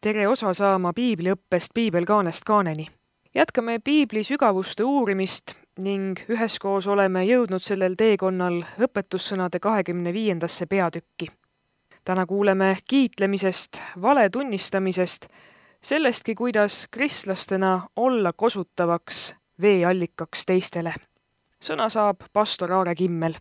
tere osa saama piibliõppest Piibelkaanest kaaneni. Jätkame piibli sügavuste uurimist ning üheskoos oleme jõudnud sellel teekonnal õpetussõnade 25. peatükki. Täna kuuleme kiitlemisest, vale tunnistamisest, sellestki, kuidas kristlastena olla kosutavaks veeallikaks teistele. Sõna saab pastor Aare Kimmel.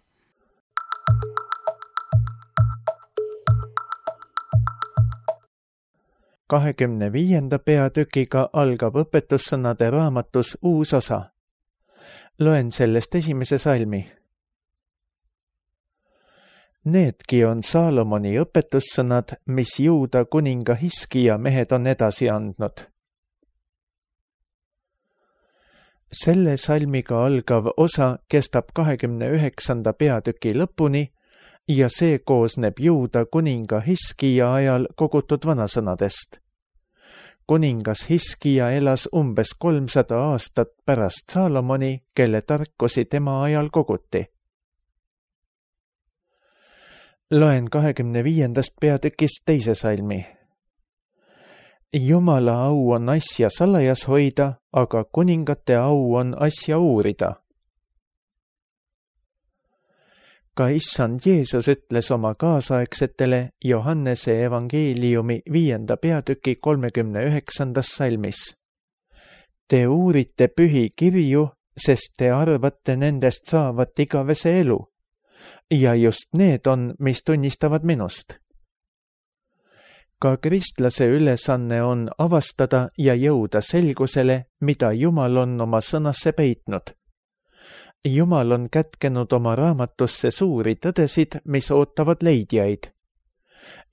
Kahekümne 25. peatükiga algab õpetussõnade raamatus uus osa. Loen sellest esimese salmi. Needki on Saalomoni õpetussõnad, mis Juuda kuninga Hiskija mehed on edasi andnud. Selle salmiga algav osa kestab 29. peatüki lõpuni ja see koosneb Juuda kuninga Hiskija ajal kogutud vanasõnadest. Kuningas Hiskija elas umbes 300 aastat pärast Saalomoni, kelle tarkusi tema ajal koguti. Loen 25. peatükist teise salmi. Jumala au on asja salajas hoida, aga kuningate au on asja uurida. Ka issand Jeesus ütles oma kaasaegsetele Johannese evangeeliumi 5. peatüki 39. salmis. Te uurite pühi kirju, sest te arvate nendest saavat igavese elu. Ja just need on, mis tunnistavad minust. Ka kristlase ülesanne on avastada ja jõuda selgusele, mida Jumal on oma sõnasse peitnud. Jumal on kätkenud oma raamatusse suuri tõdesid, mis ootavad leidjaid.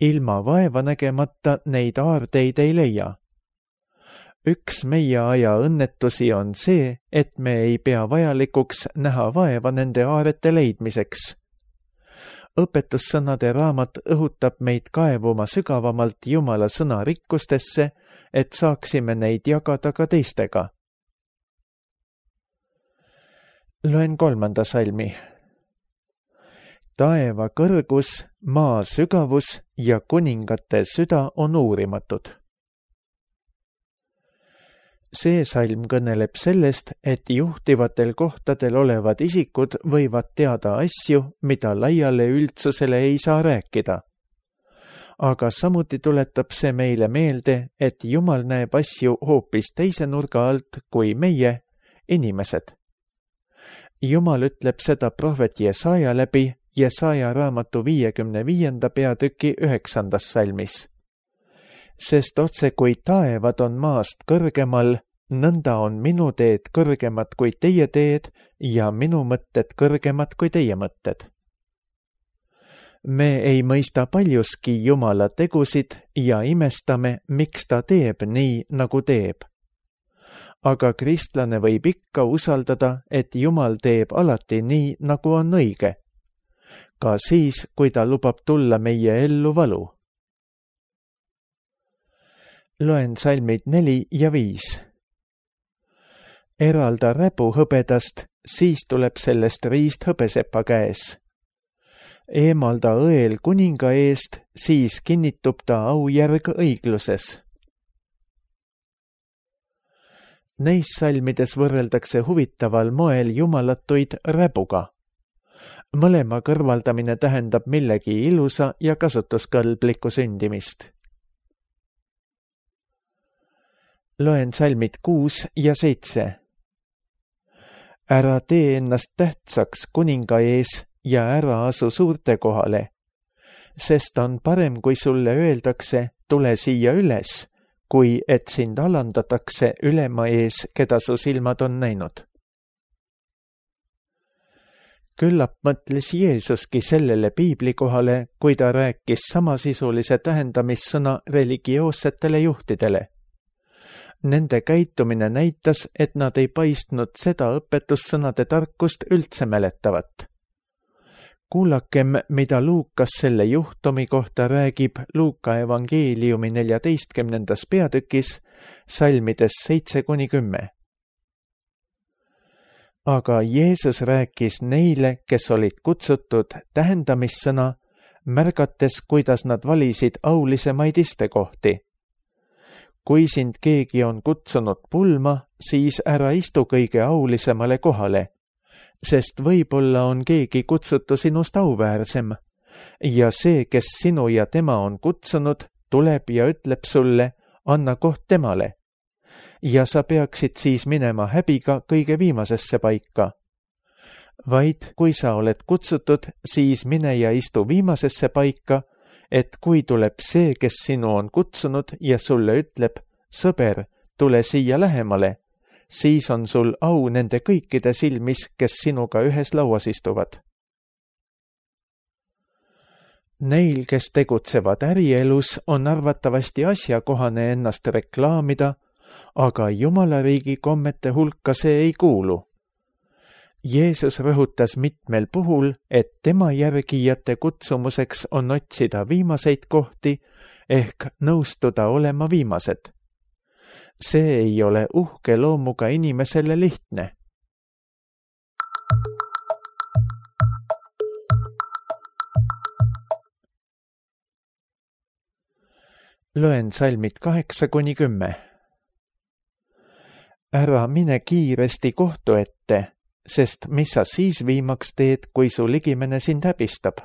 Ilma vaeva nägemata neid aardeid ei leia. Üks meie aja õnnetusi on see, et me ei pea vajalikuks näha vaeva nende aarete leidmiseks. Õpetussõnade raamat õhutab meid kaevuma sügavamalt Jumala sõna rikkustesse, et saaksime neid jagada ka teistega. Loen 3. salmi. Taeva kõrgus, maa sügavus ja kuningate süda on uurimatud. See salm kõneleb sellest, et juhtivatel kohtadel olevad isikud võivad teada asju, mida laiale üldsusele ei saa rääkida. Aga samuti tuletab see meile meelde, et Jumal näeb asju hoopis teise nurga alt kui meie, inimesed. Jumal ütleb seda prohvet Jesaja läbi Jesaja raamatu 55. peatüki 9. salmis. Sest otse kui taevad on maast kõrgemal, nõnda on minu teed kõrgemad kui teie teed ja minu mõtted kõrgemad kui teie mõtted. Me ei mõista paljuski Jumala tegusid ja imestame, miks ta teeb nii, nagu teeb. Aga kristlane võib ikka usaldada, et Jumal teeb alati nii, nagu on õige. Ka siis, kui ta lubab tulla meie ellu valu. Loen salmid 4 ja 5. Eralda räbu hõbedast, siis tuleb sellest riist hõbesepa käes. Eemalda õel kuninga eest, siis kinnitub ta aujärg õigluses. Neis salmides võrreldakse huvitaval moel jumalatuid räbuga. Mõlema kõrvaldamine tähendab millegi ilusa ja kasutuskõlblikku sündimist. Loen salmid 6 ja 7. Ära tee ennast tähtsaks kuninga ees ja ära asu suurte kohale, sest on parem, kui sulle öeldakse, tule siia üles, kui et sind alandatakse ülema ees, keda su silmad on näinud. Küllap mõtles Jeesuski sellele piiblikohale, kui ta rääkis samasisulise tähendamissõna religioossetele juhtidele. Nende käitumine näitas, et nad ei paistnud seda õpetussõnade tarkust üldse mäletavat. Kuulakem, mida Luukas selle juhtumi kohta räägib Luuka evangeeliumi 14. peatükis, salmides 7-10. Aga Jeesus rääkis neile, kes olid kutsutud tähendamissõna, märgates, kuidas nad valisid aulisemaid istekohti. kui sind keegi on kutsunud pulma, siis ära istu kõige aulisemale kohale, sest võib-olla on keegi kutsutu sinust auväärsem ja see, kes sinu ja tema on kutsunud, tuleb ja ütleb sulle, anna koht temale. Ja sa peaksid siis minema häbiga kõige viimasesse paika. Vaid kui sa oled kutsutud, siis mine ja istu viimasesse paika, et kui tuleb see, kes sinu on kutsunud ja sulle ütleb, sõber, tule siia lähemale, siis on sul au nende kõikide silmis, kes sinuga ühes lauas istuvad. Neil, kes tegutsevad ärielus, on arvatavasti asjakohane ennast reklaamida, aga Jumala riigi kommete hulka see ei kuulu. Jeesus rõhutas mitmel puhul, et tema järgijate kutsumuseks on otsida viimaseid kohti ehk nõustuda olema viimased. See ei ole uhke loomuga inimesele lihtne. Loen salmid 8-10. Ära mine kiiresti kohtu ette, sest mis sa siis viimaks teed, kui su ligimene sind häbistab?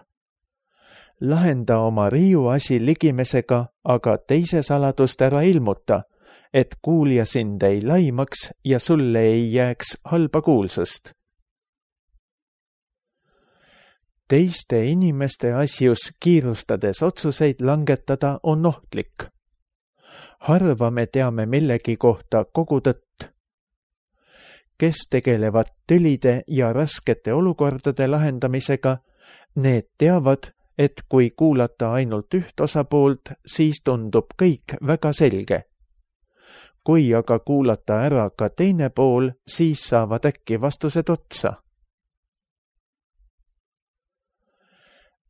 Lahenda oma riiuasi ligimesega, aga teise saladust ära ilmuta, et kuulja sind ei laimaks ja sulle ei jääks halba kuulsust. Teiste inimeste asjus kiirustades otsuseid langetada on ohtlik. Harva me teame millegi kohta kogu tõtt. Kes tegelevad tülide ja raskete olukordade lahendamisega, need teavad, et kui kuulata ainult üht osapoolt, siis tundub kõik väga selge. Kui aga kuulata ära ka teine pool, siis saavad äkki vastused otsa.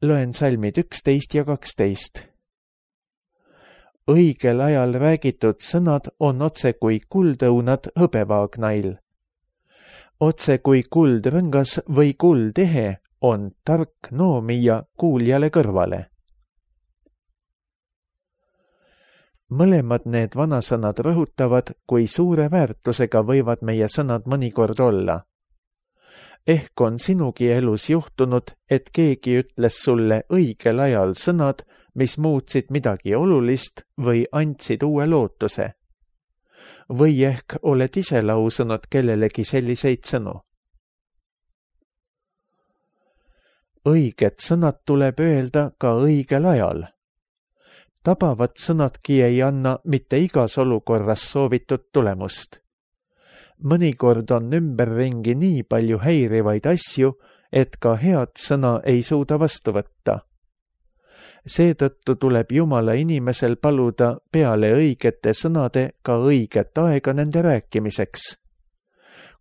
Loen salmid 11 ja 12. Õigel ajal räägitud sõnad on otse kui kuldõunad hõbevaagnail. Otse kui kuldrõngas või kuldehe on tark noomija kuuljale kõrvale. Mõlemad need vanasõnad rõhutavad, kui suure väärtusega võivad meie sõnad mõnikord olla. Ehk on sinugi elus juhtunud, et keegi ütles sulle õigel ajal sõnad, mis muutsid midagi olulist või andsid uue lootuse. Või ehk oled ise lausunud kellelegi selliseid sõnu. Õiged sõnad tuleb öelda ka õigel ajal. Tabavad sõnadki ei anna mitte igas olukorras soovitud tulemust. Mõnikord on ümberringi nii palju häirivaid asju, et ka head sõna ei suuda vastu võtta. Seetõttu tuleb Jumala inimesel paluda peale õigete sõnade ka õiget aega nende rääkimiseks.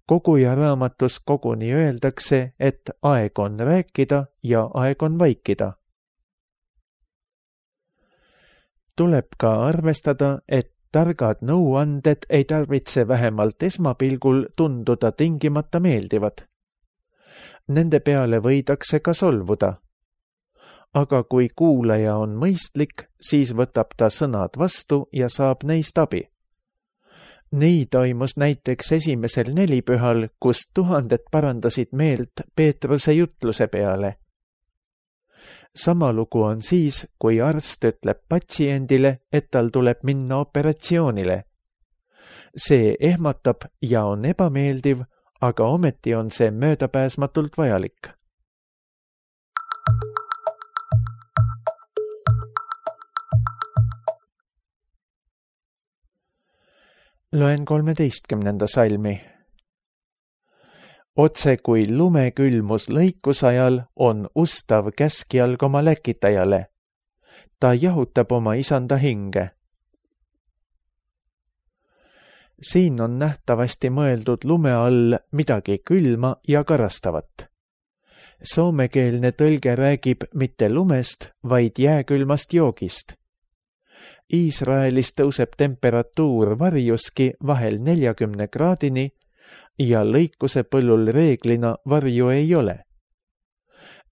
Koguja raamatus koguni öeldakse, et aeg on rääkida ja aeg on vaikida. Tuleb ka arvestada, et targad nõuanded ei tarvitse vähemalt esmapilgul tunduda tingimata meeldivad. Nende peale võidakse ka solvuda. Aga kui kuulaja on mõistlik, siis võtab ta sõnad vastu ja saab neist abi. Nii toimus näiteks esimesel nelipühal, kus tuhanded parandasid meelt Peetruse jutluse peale. Sama lugu on siis, kui arst ütleb patsiendile, et tal tuleb minna operatsioonile. See ehmatab ja on ebameeldiv, aga ometi on see möödapääsmatult vajalik. Loen 13. salmi. Otse kui lumekülmus lõikusajal on ustav käskjalg oma läkitajale. Ta jahutab oma isanda hinge. Siin on nähtavasti mõeldud lume all midagi külma ja karastavat. Soomekeelne tõlge räägib mitte lumest, vaid jääkülmast joogist. Iisraelis tõuseb temperatuur varjuski vahel 40 kraadini ja lõikuse põllul reeglina varju ei ole.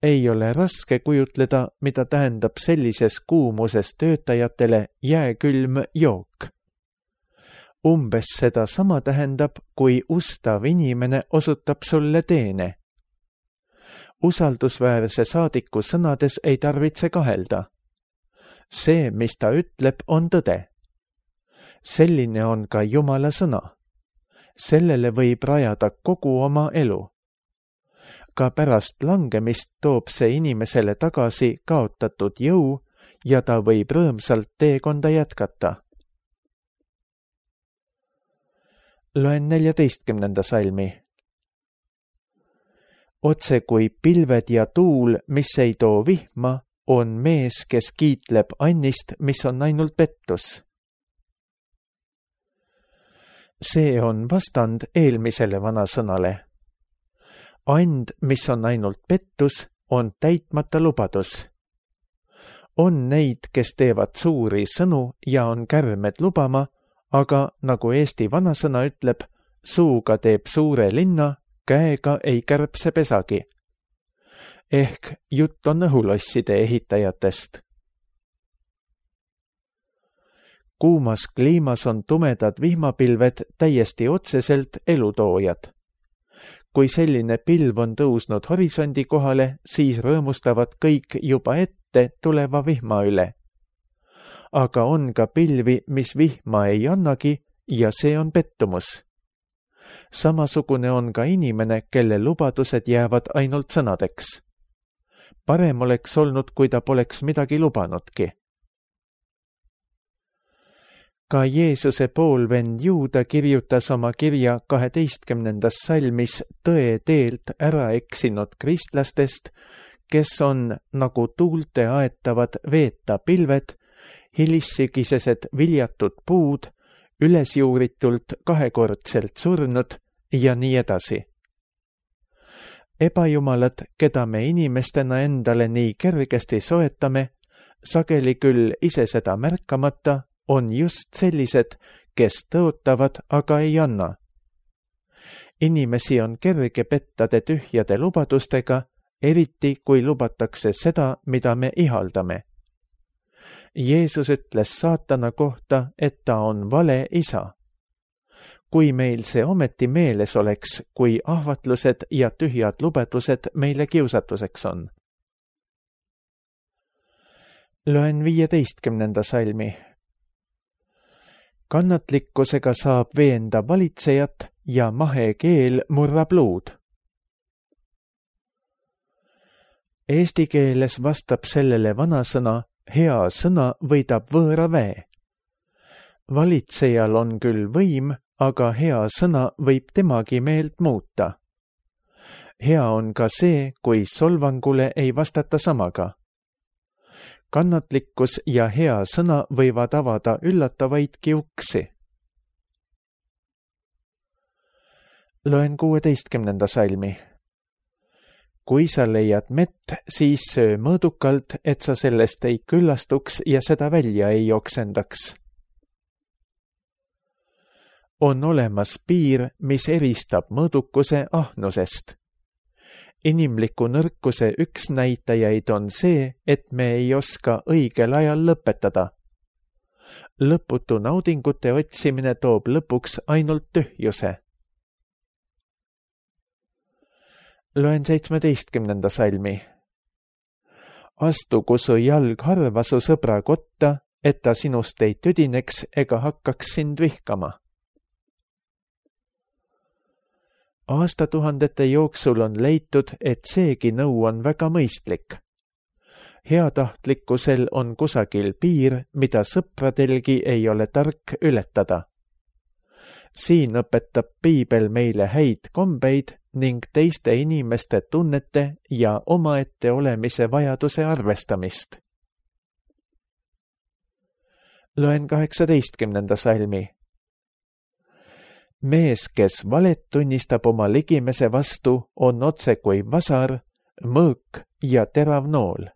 Ei ole raske kujutleda, mida tähendab sellises kuumuses töötajatele jääkülm jook. Umbes seda sama tähendab, kui ustav inimene osutab sulle teene. Usaldusväärse saadiku sõnades ei tarvitse kahelda. See, mis ta ütleb, on tõde. Selline on ka Jumala sõna. Sellele võib rajada kogu oma elu. Ka pärast langemist toob see inimesele tagasi kaotatud jõu ja ta võib rõõmsalt teekonda jätkata. Loen 14. salmi. Otse kui pilved ja tuul, mis ei too vihma, on mees, kes kiitleb annist, mis on ainult pettus. See on vastand eelmisele vanasõnale. And, mis on ainult pettus, on täitmata lubadus. On neid, kes teevad suuri sõnu ja on kärmed lubama, aga nagu Eesti vanasõna ütleb, suuga teeb suure linna, käega ei kärbse pesagi. Ehk jutt on õhulosside ehitajatest. Kuumas kliimas on tumedad vihmapilved täiesti otseselt elutoojad. Kui selline pilv on tõusnud horisondi kohale, siis rõõmustavad kõik juba ette tuleva vihma üle. Aga on ka pilvi, mis vihma ei annagi ja see on pettumus. Samasugune on ka inimene, kelle lubadused jäävad ainult sõnadeks. Parem oleks olnud, kui ta poleks midagi lubanudki. Ka Jeesuse poolvend Juuda kirjutas oma kirja 12. salmis tõe teelt ära eksinud kristlastest, kes on nagu tuulte aetavad veeta pilved, hilissügisesed viljatud puud, ülesjuuritult kahekordselt surnud ja nii edasi. Ebajumalad, keda me inimestena endale nii kergesti soetame, sageli küll ise seda märkamata, on just sellised, kes tõotavad, aga ei anna. Inimesi on kerge pettade tühjade lubadustega, eriti kui lubatakse seda, mida me ihaldame. Jeesus ütles saatana kohta, et ta on vale isa. Kui meil see ometi meeles oleks, kui ahvatlused ja tühjad lubadused meile kiusatuseks on. Loen 15. salmi. Kannatlikkusega saab veenda valitsejat ja mahe keel murrab luud. Eesti keeles vastab sellele vanasõna, hea sõna võidab võõra väe. Valitsejal on küll võim, aga hea sõna võib temagi meelt muuta. Hea on ka see, kui solvangule ei vastata samaga. Kannatlikkus ja hea sõna võivad avada üllatavaidki uksi. Loen 16. salmi. Kui sa leiad mett, siis söö mõõdukalt, et sa sellest ei küllastuks ja seda välja ei oksendaks. On olemas piir, mis eristab mõõdukuse ahnusest. Inimliku nõrkuse üks näitajaid on see, et me ei oska õigel ajal lõpetada. Lõputu naudingute otsimine toob lõpuks ainult tühjuse. Loen 17. salmi. Astugu su jalg harva su sõbra kotta, et ta sinust ei tüdineks ega hakkaks sind vihkama. Aastatuhandete jooksul on leitud, et seegi nõu on väga mõistlik. Heatahtlikkusel on kusagil piir, mida sõpradelgi ei ole tark ületada. Siin õpetab piibel meile häid kombeid ning teiste inimeste tunnete ja omaette olemise vajaduse arvestamist. Loen 18. salmi. Mees, kes valet tunnistab oma ligimese vastu, on otse kui vasar, mõõk ja terav nool.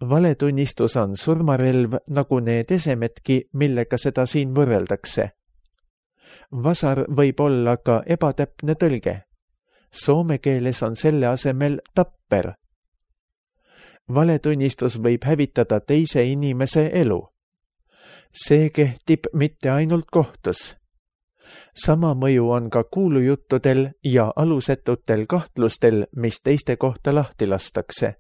Valetunnistus on surmarelv nagu need esemedki, millega seda siin võrreldakse. Vasar võib olla ka ebatäpne tõlge. Soome keeles on selle asemel tapper. Valetunnistus võib hävitada teise inimese elu. See kehtib mitte ainult kohtus. Sama mõju on ka kuulujuttudel ja alusetutel kahtlustel, mis teiste kohta lahti lastakse.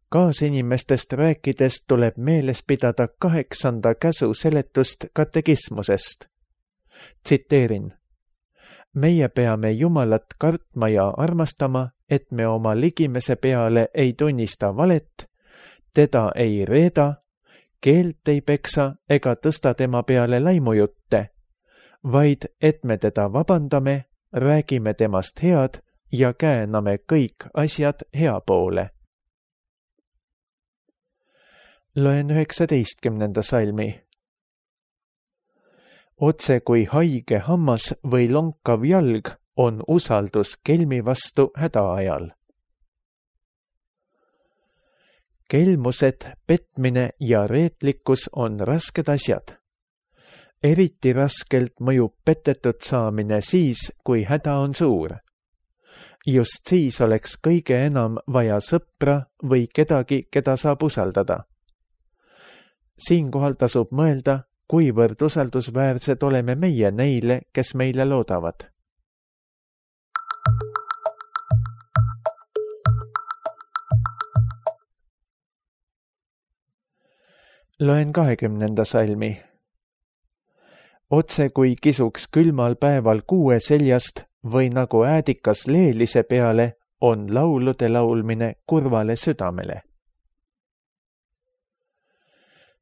Kaasinimestest rääkides tuleb meeles pidada 8. käsu seletust katekismusest. Tsiteerin. Meie peame Jumalat kartma ja armastama, et me oma ligimese peale ei tunnista valet, teda ei reeda, keelt ei peksa ega tõsta tema peale laimujutte, vaid et me teda vabandame, räägime temast head ja kääname kõik asjad hea poole. Loen 19. salmi. Otse kui haige hammas või lonkav jalg on usaldus kelmi vastu hädaajal. Kelmused, petmine ja reetlikkus on rasked asjad. Eriti raskelt mõjub petetud saamine siis, kui häda on suur. Just siis oleks kõige enam vaja sõpra või kedagi, keda saab usaldada. Siinkohal tasub mõelda, kuivõrd usaldusväärsed oleme meie neile, kes meile loodavad. Loen 20. salmi. Otse kui kisuks külmal päeval kuue seljast või nagu äädikas leelise peale, on laulude laulmine kurvale südamele.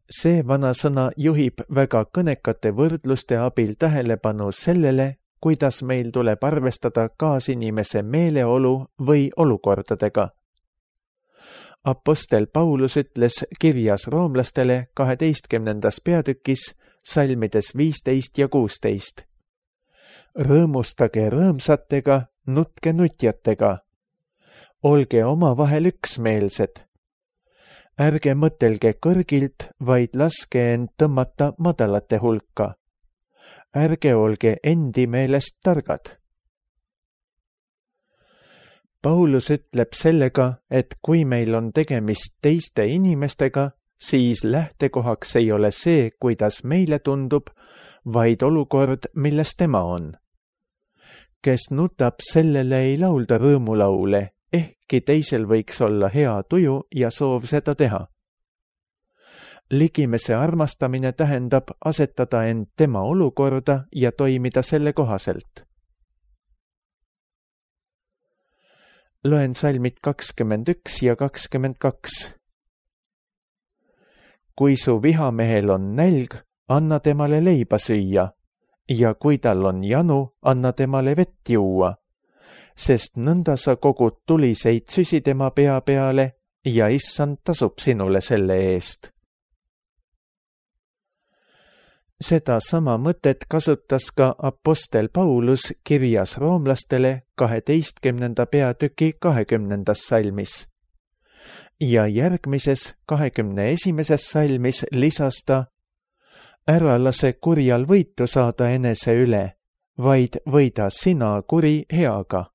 See vanasõna juhib väga kõnekate võrdluste abil tähelepanu sellele, kuidas meil tuleb arvestada kaasinimese meeleolu või olukordadega. Apostel Paulus ütles kirjas roomlastele 12. peatükis salmides 15 ja 16. Rõõmustage rõõmsatega, nutke nutjatega. Olge omavahel üksmeelsed. Ärge mõtelge kõrgilt, vaid laske end tõmmata madalate hulka. Ärge olge endi meelest targad. Paulus ütleb sellega, et kui meil on tegemist teiste inimestega, siis lähtekohaks ei ole see, kuidas meile tundub, vaid olukord, milles tema on. Kes nutab, sellele ei laulda rõõmulaule, ehkki teisel võiks olla hea tuju ja soov seda teha. Ligimese armastamine tähendab asetada end tema olukorda ja toimida selle kohaselt. Loen salmid 21 ja 22. Kui su vihamehel on nälg, anna temale leiba süüa, ja kui tal on janu, anna temale vett juua, sest nõnda sa kogud tuliseid süsi tema pea peale ja issand tasub sinule selle eest. Seda sama mõtet kasutas ka apostel Paulus kirjas roomlastele 12. peatüki 20. salmis. Ja järgmises 21. salmis lisas ta, ära lase kurjal võitu saada enese üle, vaid võida sina kuri heaga.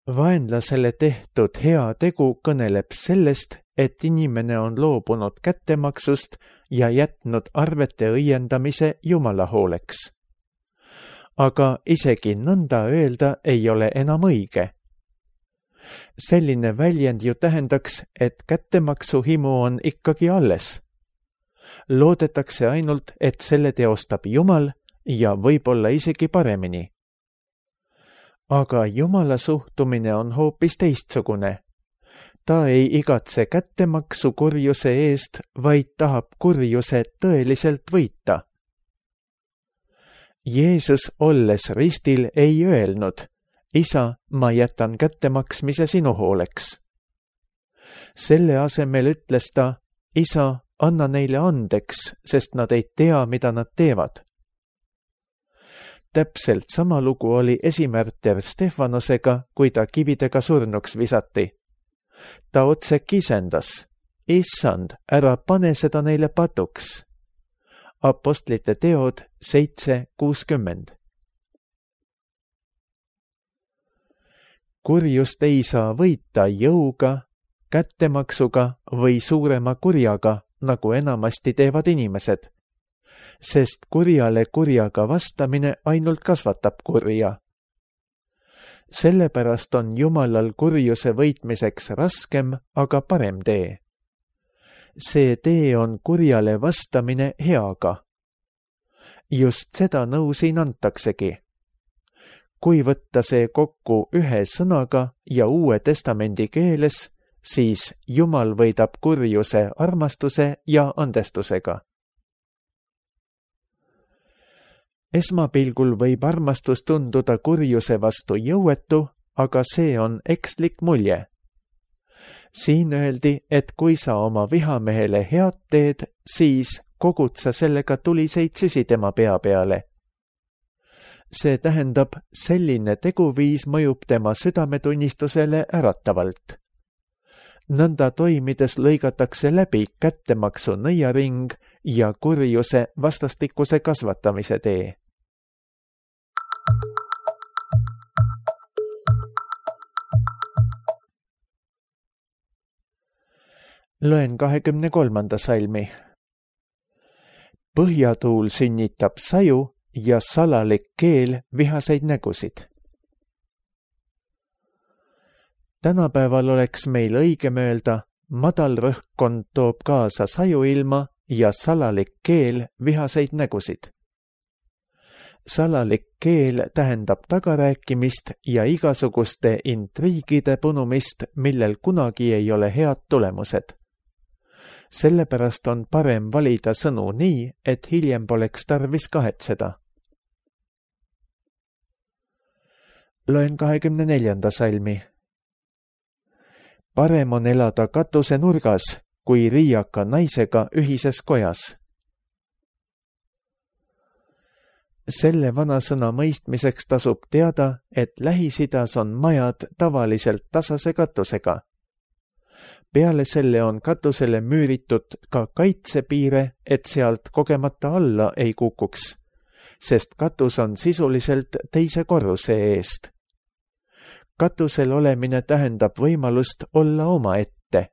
Vaenlasele tehtud hea tegu kõneleb sellest, et inimene on loobunud kättemaksust ja jätnud arvete õiendamise Jumala hooleks. Aga isegi nõnda öelda ei ole enam õige. Selline väljend ju tähendaks, et kättemaksuhimu on ikkagi alles. Loodetakse ainult, et selle teostab Jumal ja võib-olla isegi paremini. Aga Jumala suhtumine on hoopis teistsugune. Ta ei igatse kättemaksu kurjuse eest, vaid tahab kurjuse tõeliselt võita. Jeesus olles ristil ei öelnud, isa, ma jätan kättemaksmise sinu hooleks. Selle asemel ütles ta, isa, anna neile andeks, sest nad ei tea, mida nad teevad. Täpselt sama lugu oli esimärter Stefanosega, kui ta kividega surnuks visati. Ta otse kisendas, issand, ära pane seda neile patuks. Apostlite teod 7:60. Kurjust ei saa võita jõuga, kättemaksuga või suurema kurjaga, nagu enamasti teevad inimesed, sest kurjale kurjaga vastamine ainult kasvatab kurja. Sellepärast on Jumalal kurjuse võitmiseks raskem, aga parem tee. See tee on kurjale vastamine heaga. Just seda nõu siin antaksegi. Kui võtta see kokku ühe sõnaga ja Uue Testamendi keeles, siis Jumal võidab kurjuse armastuse ja andestusega. Esmapilgul võib armastus tunduda kurjuse vastu jõuetu, aga see on ekslik mulje. Siin öeldi, et kui sa oma vihamehele head teed, siis kogud sa sellega tuliseid süsi tema pea peale. See tähendab, selline teguviis mõjub tema südametunnistusele äratavalt. Nõnda toimides lõigatakse läbi kättemaksu nõiaring ja kurjuse vastastikuse kasvatamise tee. Loen 23. salmi. Põhjatuul sünnitab saju ja salalik keel vihaseid nägusid. Tänapäeval oleks meil õigem öelda, madal rõhkkond toob kaasa sajuilma ja salalik keel vihaseid nägusid. Salalik keel tähendab tagarääkimist ja igasuguste intriigide punumist, millel kunagi ei ole head tulemused. Sellepärast on parem valida sõnu nii, et hiljem poleks tarvis kahetseda. Loen 24. salmi. Parem on elada katuse nurgas, kui riiaka naisega ühises kojas. Selle vanasõna mõistmiseks tasub teada, et Lähis-Idas on majad tavaliselt tasase katusega. Peale selle on katusele müüritud ka kaitsepiire, et sealt kogemata alla ei kukuks, sest katus on sisuliselt teise korruse eest. Katusel olemine tähendab võimalust olla omaette.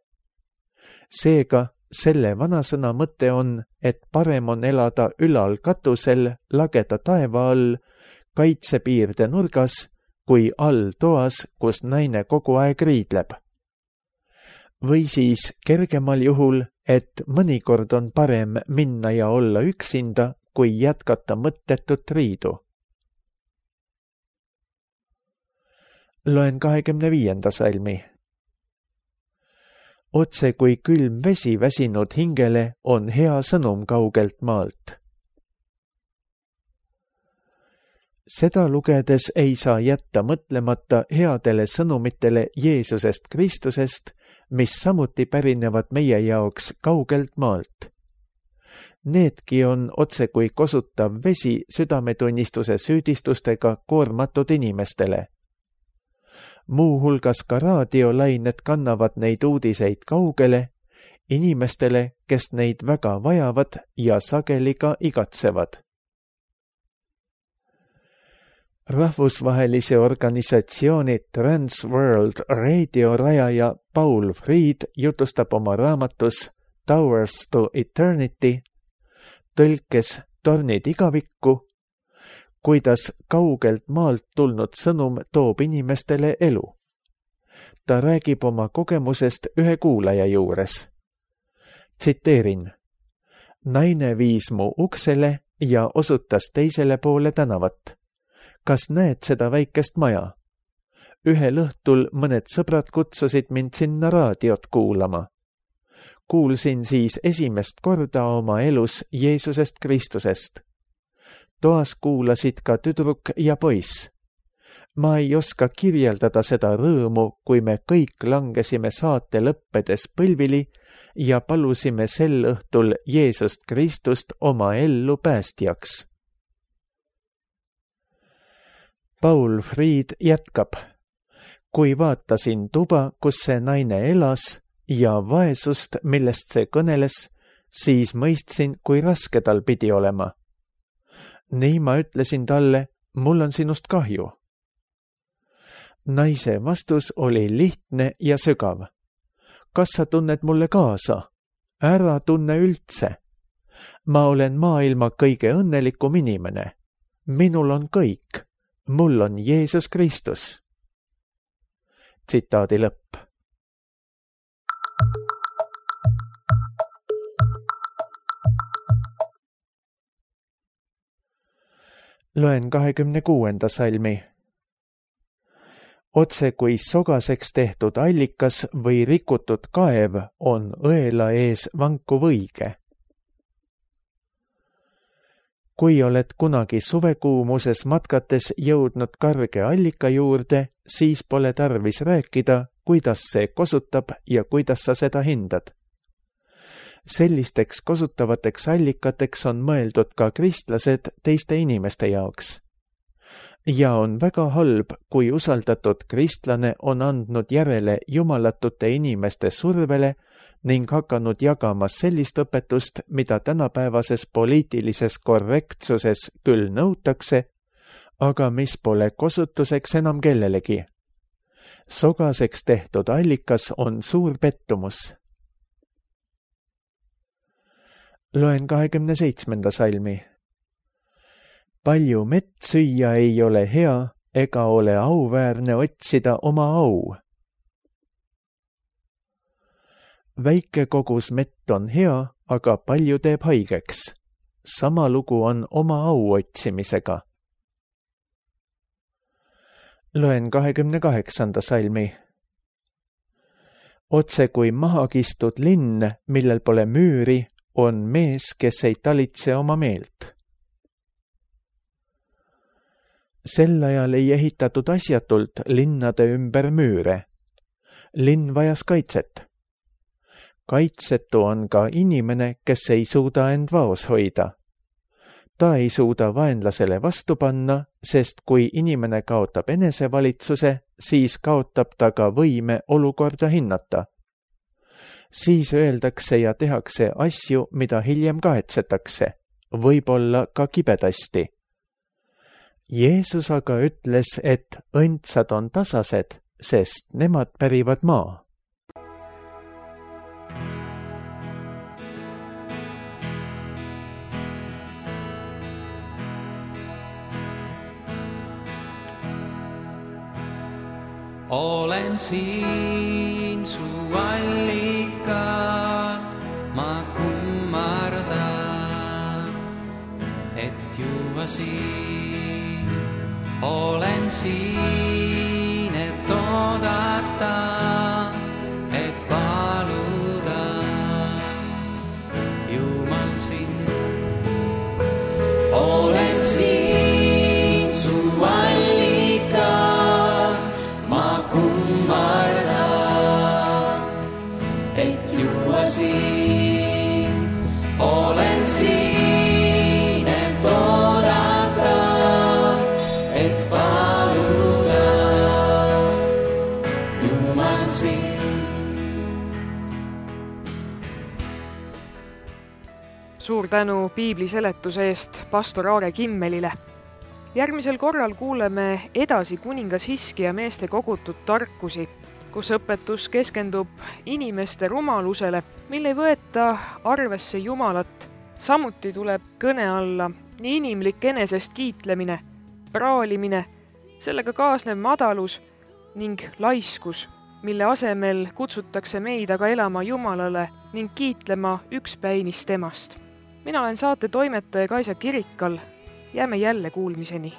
Seega, selle vanasõna mõte on, et parem on elada ülal katusel lageda taeva all, kaitsepiirde nurgas, kui all toas, kus naine kogu aeg riidleb. Või siis kergemal juhul, et mõnikord on parem minna ja olla üksinda, kui jätkata mõttetut riidu. Loen 25. salmi. Otse kui külm vesi väsinud hingele on hea sõnum kaugelt maalt. Seda lugedes ei saa jätta mõtlemata headele sõnumitele Jeesusest Kristusest, mis samuti pärinevad meie jaoks kaugelt maalt. Needki on otse kui kosutav vesi südametunnistuse süüdistustega koormatud inimestele. Muuhulgas ka raadiolained kannavad neid uudiseid kaugele, inimestele, kes neid väga vajavad ja sageli ka igatsevad. Rahvusvahelise organisatsiooni Transworld Radio rajaja Paul Fried jutustab oma raamatus Towers to Eternity, tõlkes Tornid igavikku, kuidas kaugelt maalt tulnud sõnum toob inimestele elu. Ta räägib oma kogemusest ühe kuulaja juures. Tsiteerin. Naine viis mu uksele ja osutas teisele poole tänavat. Kas näed seda väikest maja? Ühel õhtul mõned sõbrad kutsusid mind sinna raadiot kuulama. Kuulsin siis esimest korda oma elus Jeesusest Kristusest. Toas kuulasid ka tüdruk ja poiss. Ma ei oska kirjeldada seda rõõmu, kui me kõik langesime saate lõppedes põlvili ja palusime sel õhtul Jeesust Kristust oma ellu päästjaks. Paul Fried jätkab. Kui vaatasin tuba, kus see naine elas ja vaesust, millest see kõneles, siis mõistsin, kui raske tal pidi olema. Nii ma ütlesin talle, mul on sinust kahju. Naise vastus oli lihtne ja sügav. kas sa tunned mulle kaasa? Ära tunne üldse. Ma olen maailma kõige õnnelikum inimene. Minul on kõik. Mul on Jeesus Kristus. Tsitaadi lõpp. Loen 26. salmi. Otse kui sogaseks tehtud allikas või rikutud kaev on õela ees vankuv õige. Kui oled kunagi suvekuumuses matkates jõudnud karge allika juurde, siis pole tarvis rääkida, kuidas see kosutab ja kuidas sa seda hindad. Sellisteks kosutavateks allikateks on mõeldud ka kristlased teiste inimeste jaoks. Ja on väga halb, kui usaldatud kristlane on andnud järele jumalatute inimeste survele ning hakanud jagama sellist õpetust, mida tänapäevases poliitilises korrektsuses küll nõutakse, aga mis pole kosutuseks enam kellelegi. Sogaseks tehtud allikas on suur pettumus. Loen 27. salmi. Palju mett süüa ei ole hea, ega ole auväärne otsida oma au. Väike kogus mett on hea, aga palju teeb haigeks. Sama lugu on oma au otsimisega. Loen 28. salmi. Otse kui mahakistud linn, millel pole müüri, on mees, kes ei talitse oma meelt. Sel ajal ei ehitatud asjatult linnade ümber müüre. Linn vajas kaitset. Kaitsetu on ka inimene, kes ei suuda end vaos hoida. Ta ei suuda vaenlasele vastu panna, sest kui inimene kaotab enesevalitsuse, siis kaotab ta ka võime olukorda hinnata. Siis öeldakse ja tehakse asju, mida hiljem kahetsetakse, võib-olla ka kibedasti. Jeesus aga ütles, et õndsad on tasased, sest nemad pärivad maa. Olen siin su allikal, ma kummardan, et juua siin. Olen siin, et oodata, et paluda, Jumal sind. Olen siin su allikal, ma kummardan, et juua sind. Olen siin, et oodata, et paluda, Jumal sind. Suur tänu piibli seletuse eest pastor Aare Kimmelile. Järgmisel korral kuuleme edasi kuningas Hiskija meeste kogutud tarkusi, kus õpetus keskendub inimeste rumalusele, mille ei võeta arvesse Jumalat. Samuti tuleb kõne alla nii inimlik enesest kiitlemine, praalimine, sellega kaasnev madalus ning laiskus, mille asemel kutsutakse meid aga elama Jumalale ning kiitlema ükspäinis temast. Mina olen saate toimetaja Kaisa Kirikal. Jääme jälle kuulmiseni.